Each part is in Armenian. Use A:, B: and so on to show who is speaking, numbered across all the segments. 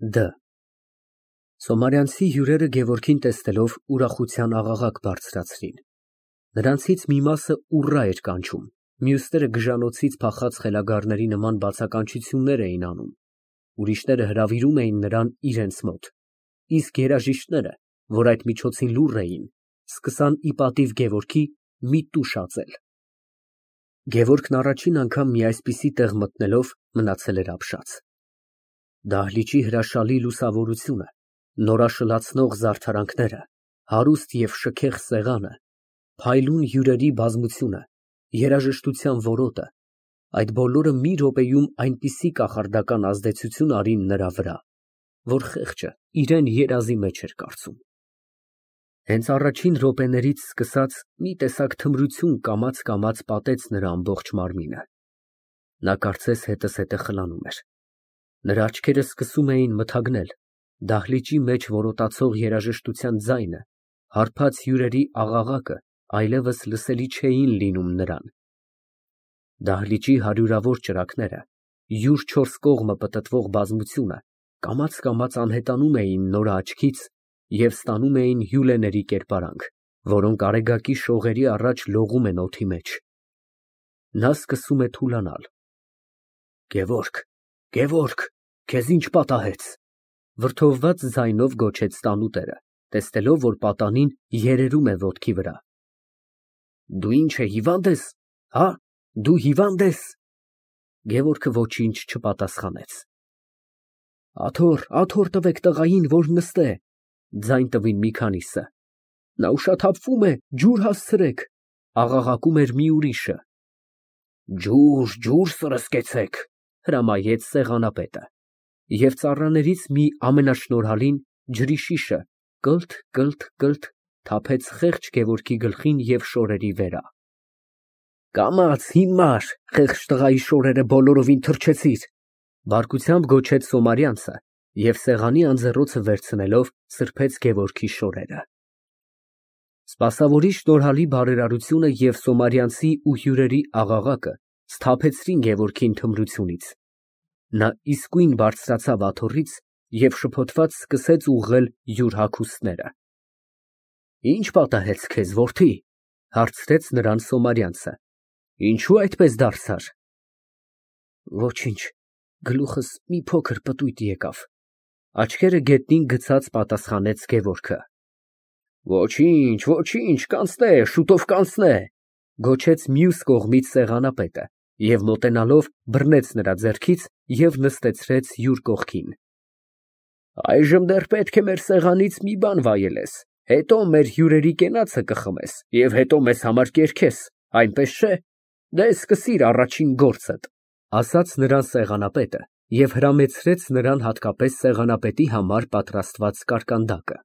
A: Դ Սոմարյանցի հյուրերը Գևորգին տեսնելով ուրախության աղաղակ բարձրացրին։ Նրանցից մի մասը ուռա էր կանչում, մյուսները գժանոցից փախած խելագարների նման բացականչություններ էին անում, ուրիշները հրավիրում էին նրան իրենց մոտ, իսկ երաժիշտները, որ այդ միջոցին լուռ էին, սկսան ի պատիվ Գևորգի մի տուշ ածել։ Գևորգն առաջին անգամ մի այսպիսի տեղ մտնելով մնացել էր ապշած։ Դահլիճի հրաշալի լուսավորությունը, նորաշլացնող զարդարանքները, հարուստ և շքեղ սեղանը, փայլուն հյուրերի բազմությունը, երաժշտության որոտը, այդ բոլորը մի րոպեում այնպիսի կախարդական ազդեցություն արին նրա վրա, որ խեղճը իրան երազի մեջ էր կարծում։ Հենց առաջին րոպեներից սկսած մի տեսակ թմրություն կամաց պատեց նրա ամբողջ մարմինը։ Նա կարծես հետզհետե խլանում էր։ Նրա աչքերը սկսում էին մթագնել, դահլիճի մեջ որոտացող երաժշտության ձայնը, հարբած հյուրերի աղաղակը այլևս լսելի չէին լինում նրան։ Դահլիճի հարյուրավոր ճրագները, յուր չորս կողմը պտտվող բազմությունը կամաց անհետանում էին նոր աչքից և ստանում էին հյուլեների կերպարանք, որոնք արեգակի շողերի առաջ լողում են օդի մեջ։ Նա սկսում է թուլանալ։ Գևորգ, Գևորգ, քեզ ինչ պատահեց։ Վրդովված ձայնով գոչեց տանուտերը, տեսնելով, որ պատանին երերում է ոտքի վրա։ Դու ինչ է, հիվա՞նդ ես, հա, դու հիվա՞նդ ես։ Գևորգը ոչինչ չպատասխանեց։ Աթոռ տվեք տղային, որ նստե, ձայն տվին մի քանիսը։ Նա ուշաթափվում է, ջուր հասցրեք, աղաղակում էր մի ուրիշը։ Ջուր սրսկեցեք, հրամայեց սեղանապետը, և ծառաներից մի ամենաշնորհալին ջրի շիշը կլթ թափեց խեղճ Գևորգի գլխին և շորերի վրա։ Կամաց, հիմար, խեղճ տղայի շորերը բոլորովին թրջեցիր, բարկությամբ գոչեց Սոմարյանցը և սեղանի անձեռոցը վերցնելով սրբեց Գևորգի շորերը։ Սպասավորի շնորհալի բարերարությունը և Սոմարյանցի ու հյուրերի աղաղակը սթափեցրին Գևորգին թմրությունից։ Նա իսկույն բարձրացավ աթոռից և շփոթված սկսեց ուղղել յուր հագուստները։ Ի՞նչ պատահեց քեզ, որդի, հարցրեց նրան Սոմարյանցը, ինչո՞ւ այդպես դարձար։ Ոչինչ, գլուխս մի փոքր պտույտ եկավ, աչքերը գետնին գցած պատասխանեց Գևորգը։ Ոչինչ, կանցնե, շուտով կանցնե, գոչեց մյուս կողմից սեղանապետը և մոտենալով բռնեց նրա ձեռքից և նստեցրեց յուր կողքին։ Այժմ դեռ պետք է մեր սեղանից մի բան վայելես, հետո մեր հյուրերի կենացը կխմես և հետո մեզ համար կերքես, այնպես չէ։ Դե սկսիր առաջին գործդ, ասաց նրան սեղանապետը և հրամեցրեց նրան հատկապես սեղանապետի համար պատրաստված կարկանդակը։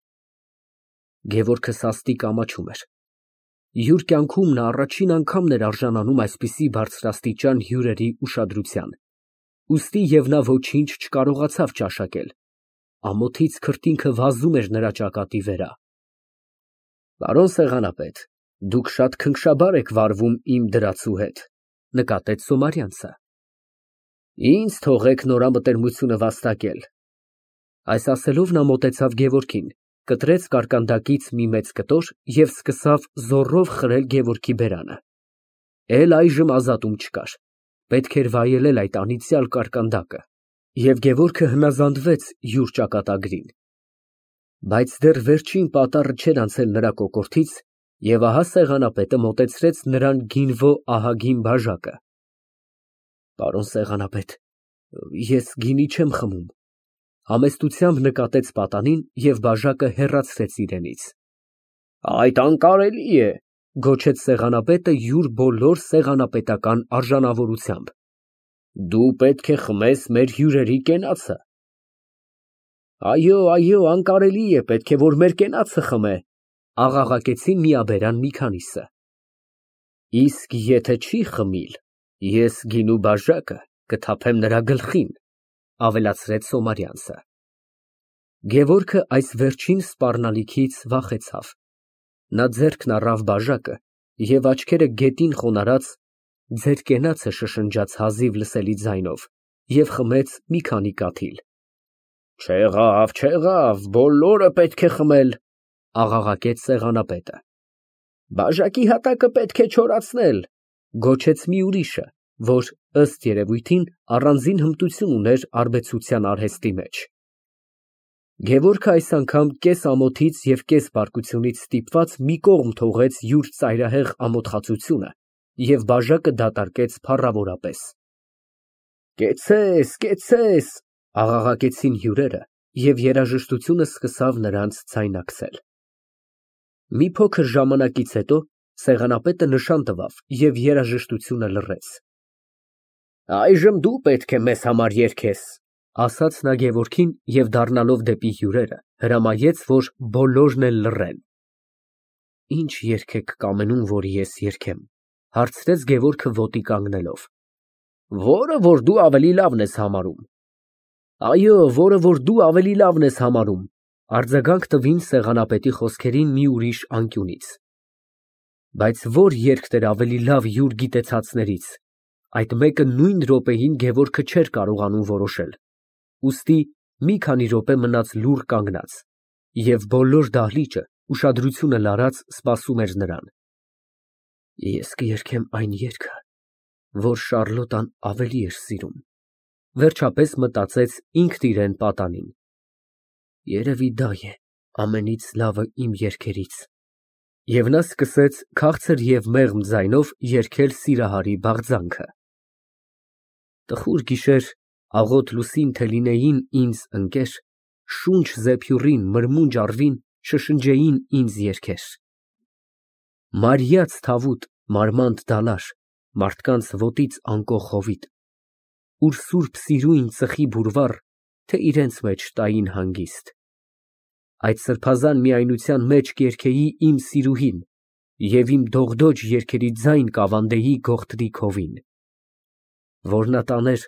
A: Գևորգը սաստիկ ամաչում էր։ Յուր կյանքում նա առաջին անգամն էր արժանանում այսպիսի բարձրաստիճան հյուրերի ուշադրության, ուստի և նա ոչինչ չկարողացավ ճաշակել, ամոթից քրտինքը վազում էր նրա ճակատի վրա։ Պարոն սեղանապետ, դուք շատ քնքշաբար եք վարվում իմ դրացու հետ, նկատեց Սոմարյանցը։ Ինձ թողեք նորամտերմությունը վաստակել։ Այս ասելով նա մոտեցավ Գևորգին, կտրեց կարկանդակից մի մեծ կտոր և սկսավ զոռով խրել Գևորգի բերանը։ Այժմ ազատում չկար, պետք էր վայելել այդ անիծյալ կարկանդակը, և Գևորգը հնազանդվեց յուր ճակատագրին։ Բայց դեռ վերջին պատառը չէր անցել նրա կոկորդից, և ահա սեղանապետը մոտեցրեց նրան գինվո ահագին բաժակը։ Պարոն սեղանապետ, ես գինի չեմ խմում, համեստությամբ նկատեց պատանին և բաժակը հեռացրեց իրենից։ Այդ անկարելի է, գոչեց սեղանապետը յուր բոլոր սեղանապետական արժանավորությամբ։ Դու պետք է խմես մեր հյուրերի կենացը։ Այո, անկարելի է, պետք է որ մեր կենացը խմե, աղաղակեցին միաբերան մի քանիսը։ Իսկ եթե չի խմիլ, ես գինու բաժակը կթափեմ նրա գլխին, ավելացրեց Սոմարյանցը։ Գևորգը այս վերջին սպառնալիքից վախեցավ։ Նա ձեռքն առավ բաժակը և աչքերը գետին խոնարհած ձեր կենացը շշնջաց հազիվ լսելի ձայնով և խմեց մի քանի կաթիլ։ Չեղավ, բոլորը պետք է խմել, աղաղակեց սեղանապետը։ Բաժակի հատակը պետք է չորացնել, գոչեց մի ուրիշը, որ, ըստ երևույթին, առանձին հմտություն ուներ արբեցության արհեստի մեջ։ Գևորգը այս անգամ կես ամոթից և կես բարկությունից ստիպված մի կողմ թողեց յուր ծայրահեղ ամոթխածությունը և բաժակը դատարկեց փառավորապես։ Կեցցես, աղաղակեցին հյուրերը, և երաժշտությունը սկսավ նրանց ձայնակցել։ Մի փոքր ժամանակից հետո սեղանապետը նշան տվավ և երաժշտությունը լռեց։ Այժմ դու պետք է մեզ համար երգես, ասաց նա Գևորգին և դառնալով դեպի հյուրերը հրամայեց, որ բոլորն էլ լռեն։ Ինչ երգ եք կամենում, որ ես երգեմ, հարցրեց Գևորգը ոտի կանգնելով։ Որը որ դու ավելի լավն ես համարում։ Այո, որը որ դու ավելի լավն ես համարում, արձագանք տվին սեղանապետի խոսքերին մի ուրիշ անկյունից։ Բայց որ երգն էր ավելի լավ յուր գիտեցածներից, այդ մեկը նույն րոպեին Գևորգը չէր կարողանում որոշել, ուստի մի քանի րոպե մնաց լուռ կանգնած, և բոլոր դահլիճը ուշադրությունը լարած սպասում էր նրան։ Ես կերգեմ այն երգը, որ Շառլոտան ավելի էր սիրում, վերջապես մտածեց ինքն իրան պատանին։ Երևի դա է ամենից լավը իմ երգերից։ Եվ նա սկսեց քաղցր և մեղմ ձայնով երգել Սիրահարի բաղձանքը։ Տխուր գիշեր, աղոտ լուսին թե լինեին ինձ ընկեր, շունչ զեփյուռին, մրմունջ առվին, շշնջեին ինձ երգեր։ Մարիած թավուտ, մարմանդ դալար, մարդկանց ոտից անկող հովիտ, ուր սուրբ սիրույն ծխի բուրվառ, թե իրենց մեջ տային հանգիստ։ Այդ սրբազան միայնության մեջ կերգեի իմ սիրուհին և իմ դողդոջ երգերի ձայն կավանդեի գողտրիկ հովին։ Որ նա տաներ,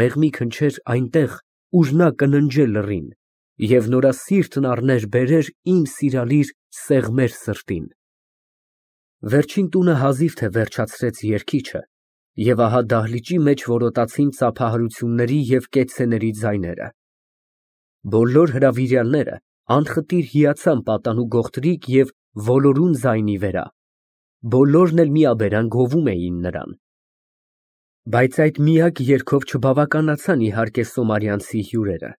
A: մեղմի քնչեր այնտեղ, ուր նա կննջե լռին, և նորասիրտն առներ բերեր իմ սիրալիր սեղմեր սրտին։ Վերջին տունը հազիվ թե վերջացրեց երգիչը, և ահա դահլիճի մեջ որոտացին ծափահարությունների և կեցցեների ձայները։ Բոլոր հրավիրյալները անխտիր հիացան պատանու գողտրիկ և ոլորուն ձայնի վրա, բոլորն էլ միաբերան գովում էին նրան։ Բայց այդ միակ երգով չբավականացան իհարկե սոմարյանցի հյուրերը։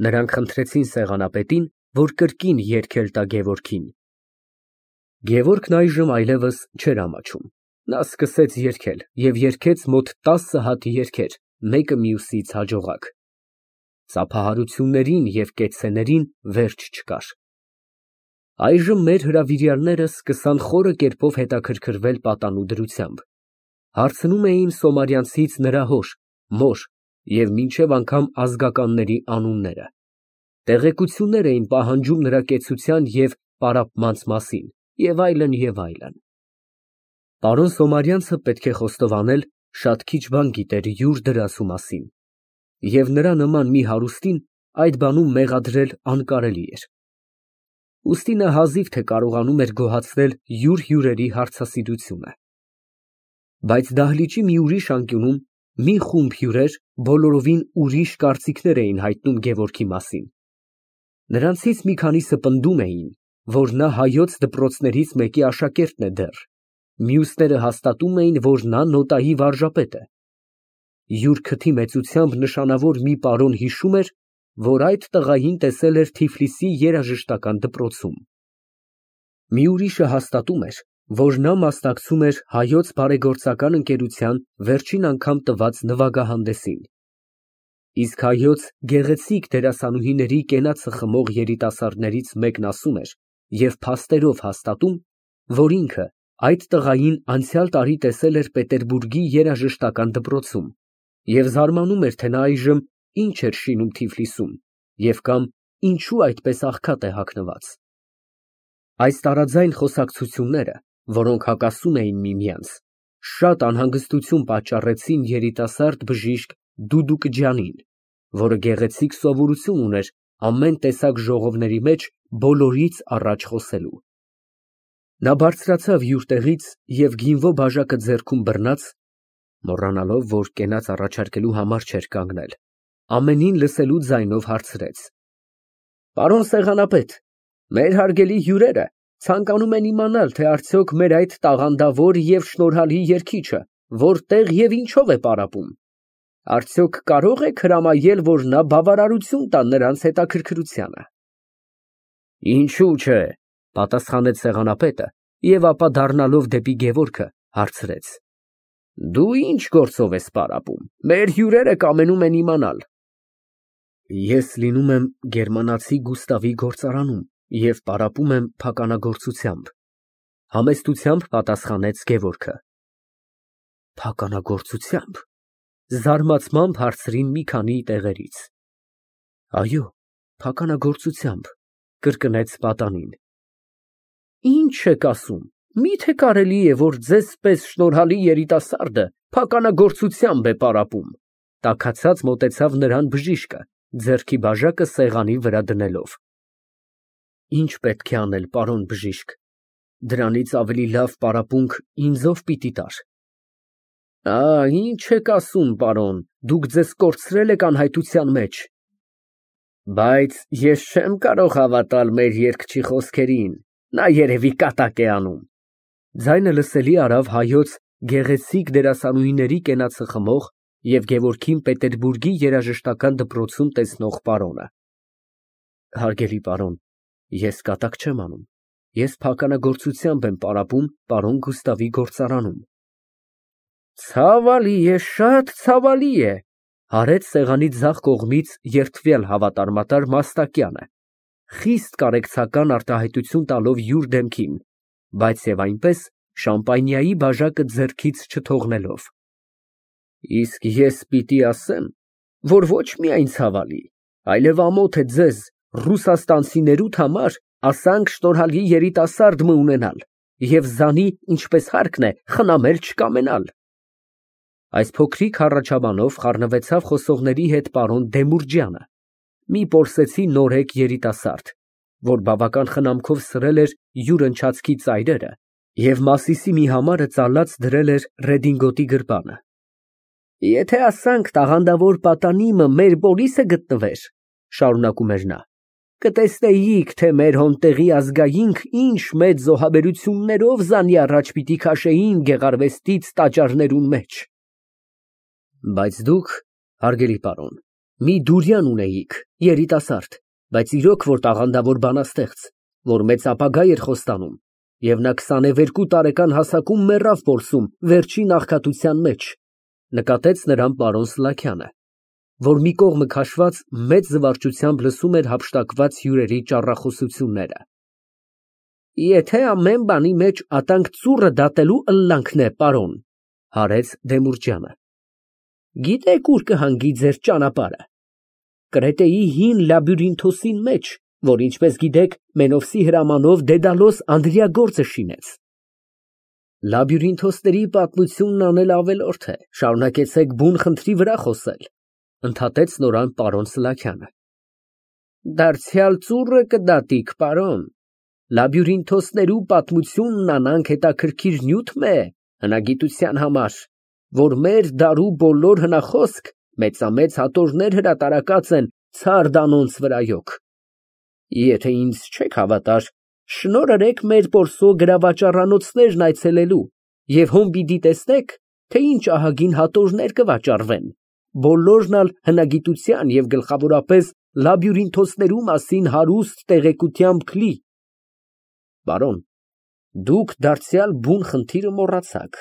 A: Նրանք խնդրեցին սեղանապետին, որ կրկին երգել տա Գևորգին։ Գևորգն այժմ այլևս չէր ամաչում։ Նա սկսեց երգել և երգեց մոտ 10 հատ երգեր, մեկը մյուսից հաջողակ։ Ծափահարություններին և կեցցեներին վերջ չկար։ Այժմ մեր հրավիրյալները սկսան խորը կերպով հետաքրքրվել պատանու դրությամբ։ Հարցնում էին սոմարյանցից նրա հոր, մոր և մինչև անգամ ազգականների անունները։ Տեղեկություններ էին պահանջում նրա կեցության և պարապմանց մասին և այլն, և այլն։ Պարոն Սոմարյանցը, պետք է խոստովանել, շատ քիչ բան գիտեր յուր դրասու մասին, և նրա նման մի հարուստին այդ բանում մեղադրել անկարելի էր։ Ուստի նա հազիվ թե կարողանում էր գոհացնել յուր հյուրերի հարցասիրությունը։ Բայց դահլիճի մի ուրիշ անկյունում մի խումբ հյուրեր բոլորովին ուրիշ կարծիքներ էին հայտնում Գևորգի մասին։ Նրանցից մի քանիսը պնդում էին, որ նա հայոց դպրոցներից մեկի աշակերտն է դեռ, մյուսները հաստատում էին, որ նա նոտայի վարժապետ է։ Յուր քթի մեծությամբ նշանավոր մի պարոն հիշում էր, որ այդ տղային տեսել էր Թիֆլիսի երաժշտական դպրոցում։ Մի ուրիշը հաստատում էր, որ նա մասնակցում էր Հայոց բարեգործական ընկերության վերջին անգամ տված նվագահանդեսին։ Իսկ հայոց գեղեցիկ դերասանուհիների կենացը խմող երիտասարդներից մեկն ասում էր և փաստերով հաստատում, որ ինքը այդ տղային անցյալ տարի տեսել էր Պետերբուրգի երաժշտական դպրոցում և զարմանում էր, թե նա այժմ ինչ էր շինում Թիֆլիսում և կամ ինչու այդպես աղքատ է հագնված։ Այս տարաձայն խոսակցությունները, որոնք հակասում էին միմյանց, շատ անհանգստություն պատճառեցին երիտասարդ բժիշկ Դուդուկջյանին, որը գեղեցիկ սովորություն ուներ ամեն տեսակ ժողովների մեջ բոլորից առաջ խոսելու։ Նա բարձրացավ յուր տեղից և գինվո բաժակը ձեռքում բռնած (մոռանալով, որ կենաց առաջարկելու համար չէր կանգնել) ամենին լսելու ձայնով հարցրեց. Պարոն սեղանապետ, մեր հարգելի հյուրերը ցանկանում են իմանալ, թե արդյոք մեր այդ տաղանդավոր և շնորհալի երգիչը որտեղ և ինչով է պարապում, արդյոք կարող եք հրամայել, որ նա բավարարություն տա նրանց հետաքրքրությանը։ Ինչու՞ չէ, պատասխանեց սեղանապետը և ապա դառնալով դեպի Գևորգը հարցրեց. Դու ինչ գործով ես պարապում, մեր հյուրերը կամենում են իմանալ։ Ես լինում եմ գերմանացի Գուստավի գործարանում և պարապում եմ փականագործությամբ, համեստությամբ պատասխանեց Գևորգը։ Փականագործությամբ, զարմացմամբ հարցրին մի քանի տեղերից։ Այո, փականագործությամբ, կրկնեց պատանին։ Ինչ եք ասում, միթե կարելի է, որ ձեզ պես շնորհալի երիտասարդը փականագործությամբ է պարապում, տաքացած մոտեցավ նրան բժիշկը, ձեռքի բաժակը սեղանի վրա դնելով։ Ինչ պետք է անել, պարոն բժիշկ, դրանից ավելի լավ պարապմունք ինձ ով պիտի տար։ Ինչ եք ասում, պարոն, դուք ձեզ կորցրել եք անհայտության մեջ։ Բայց ես չեմ կարող հավատալ մեր երգչի խոսքերին, նա երևի կատակ է անում։ Ձայնը լսելի արավ հայոց գեղեցիկ դերասանուհիների կենացը խմող և Գևորգին Պետերբուրգի երաժշտական դպրոցում տեսնող պարոնը։ Հարգելի պարոն, ես կատակ չեմ անում, ես փականագործությամբ եմ պարապում պարոն Գուստավի գործարանում։ Ցավալի է, շատ ցավալի է, հարեց սեղանի ձախ կողմից երդվել հավատարմատար Մաստակյանը, խիստ կարեկցական արտահայտություն տալով յուր դեմքին, բայց և այնպես շամպանիայի բաժակը ձեռքից չթողնելով։ Իսկ ես պիտի ասեմ, որ ոչ միայն ցավալի, այլև ամոթ է ձեզ ռուսաստանցիներուդ համար ասանք շնորհալի երիտասարդ մը ունենալ և զանի, ինչպես հարկն է, խնամել չկամենալ։ Այս փոքրիկ հառաչաբանով խառնվեցավ խոսողների հետ պարոն Դեմուրջյանը, մի պորսեցի նորեկ երիտասարդ, որ բավական խնամքով սրել էր յուր ընչացքի ծայրերը և Մասիսի մի համարը ծալած դրել էր ռեդինգոտի գրպանը։ Եթե ասանք տաղանդավոր պատանիմը մեր պոլիսը գտնվեր, շարունակում էր նա, կտեսնեիք, թե մեր հոնտեղի ազգայինք ինչ մեծ զոհաբերություններով զանի առաջ պիտի քաշեին գեղարվեստից տաճարներուն մեջ։ Բայց դուք, հարգելի պարոն, մի դուրյան ունեիք, երիտասարդ, բայց իրոք որ տաղանդավոր բանաստեղծ, որ մեծ ապագա էր խոստանում, և նա 22 տարեկան հասակում մեռավ Պոլսում վերջին աղքատության մեջ, նկատեց նրան պարոն Սլաքյանը, որ մի կողմը քաշված մեծ զվարճությամբ լսում էր հափշտակված հյուրերի ճառախոսությունները։ Եթե ամեն բանի մեջ ատանք ծուռը դատելու ըլլանքն է, պարոն, հարեց Դեմուրջյանը, գիտեք ուր կհանգի ձեր ճանապարհը։ Կրետեի հին լաբյուրինթոսին մեջ, որ ինչպես գիտեք, Մենովսի հրամանով Դեդալոս Անդրիագործը շինեց։ Լաբյուրինթոսների պատմությունն անել ավելորդ է, շարունակեցեք բուն խնդրի վրա խոսել, ընդհատեց նորան պարոն Սլաքյանը։ Դարձյալ ծուռը կդատիք, պարոն, լաբյուրինթոսներու պատմությունն անանք հետաքրքիր նյութ է հնագիտության համար, որ մեր դարու բոլոր հնախոսք մեծամեծ հատորներ հրատարակած են ցար դանոնց վրայոք։ Եթե ինձ չեք հավատար, շնորհրեք մեր Պոլսո գրավաճառանոցներն այցելելու և հոն պիտի տեսնեք, թե ինչ ահագին հատորներ կվաճառվեն, բոլորն ալ հնագիտության և գլխավորապես լաբյուրինթոսներու մասին հարուստ տեղեկությամբ լի։ Պարոն, դուք դարձյալ բուն խնդիրը մոռացաք,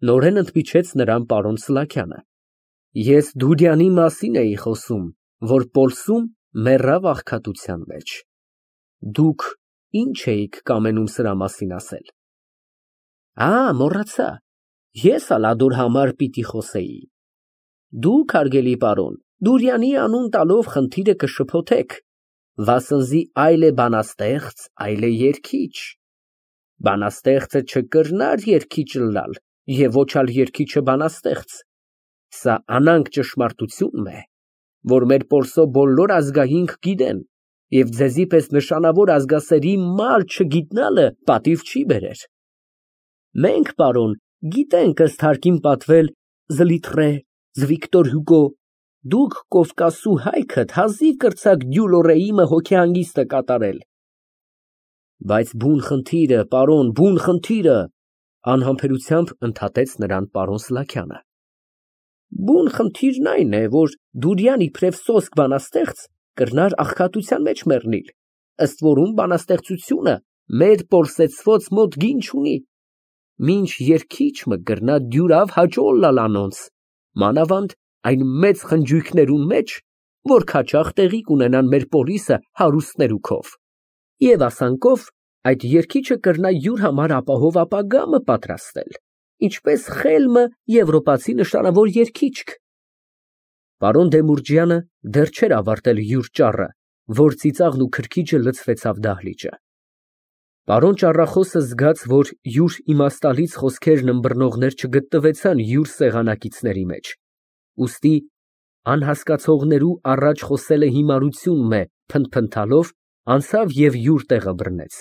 A: նորեն ընդմիջեց նրան պարոն Սլաքյանը։ Ես Դուրյանի մասին էի խոսում, որ Պոլսում մեռավ աղքատության մեջ։ Դուք ինչ էիք կամենում սրա մասին ասել։ Մոռացա, ես ալ ադուր համար պիտի խոսեի։ Դուք, հարգելի պարոն, Դուրյանի անուն տալով խնդիրը կշփոթեք, վասնզի այլ է բանաստեղծ, այլ է երգիչ։ Բանաստեղծը չկրնար երգիչ ըլլալ և ոչ ալ երգիչը բանաստեղծ։ Սա անանկ ճշմարտություն է, որ մեր Պոլսո բոլոր ազգայինք գիտեն, և ձեզի պես նշանավոր ազգասերի մալ չգիտնալը պատիվ չի բերեր։ Մենք, պարոն, գիտենք ըստ հարկին պատվել Զլիթռե, Վիկտոր Հյուգո, Դուք Կովկասու հայքդ հազիվ կրցաք Գյուլորեիմը հոգեհանգիստ կատարել։ Բայց բուն խնդիրը, պարոն, բուն խնդիրը, անհամբերությամբ ընդհատեց նրան պարոն Սլաքյանը։ Բուն խնդիրն այն է, որ դուրյան իբրև սոսկ բանաստեղծ կրնար աղքատության մեջ մեռնել, ըստ որում բանաստեղծությունը մեր պորսեցված մոտ գին չունի։ Մինչ երգիչ մը կրնա դյուրավ հաճոլ լալ անոնց, մանավանդ այն մեծ խնջույքներուն մեջ, որ քաչաղ տեղի կունենան մեր պորիսը հարուստներու քով։ Եվ ասանքով այդ երգիչը կրնա յուր համար ապահով ապագա մը պատրաստել, ինչպես Խելմը եվրոպացի նշանավոր երգիչք։ Պարոն Դեմուրջյանը դեռ չէր ավարտել յուր ճառը, որ ծիծաղն ու քրքիջը լցվեցավ դահլիճը։ Պարոն ճառախոսը զգաց, որ յուր իմաստալից խոսքերն ըմբռնողներ չգտնվեցան յուր սեղանակիցների մեջ, ուստի անհասկացողներու առաջ խոսելը հիմարություն է փնթփնթալով, անցավ և յուր տեղը բռնեց։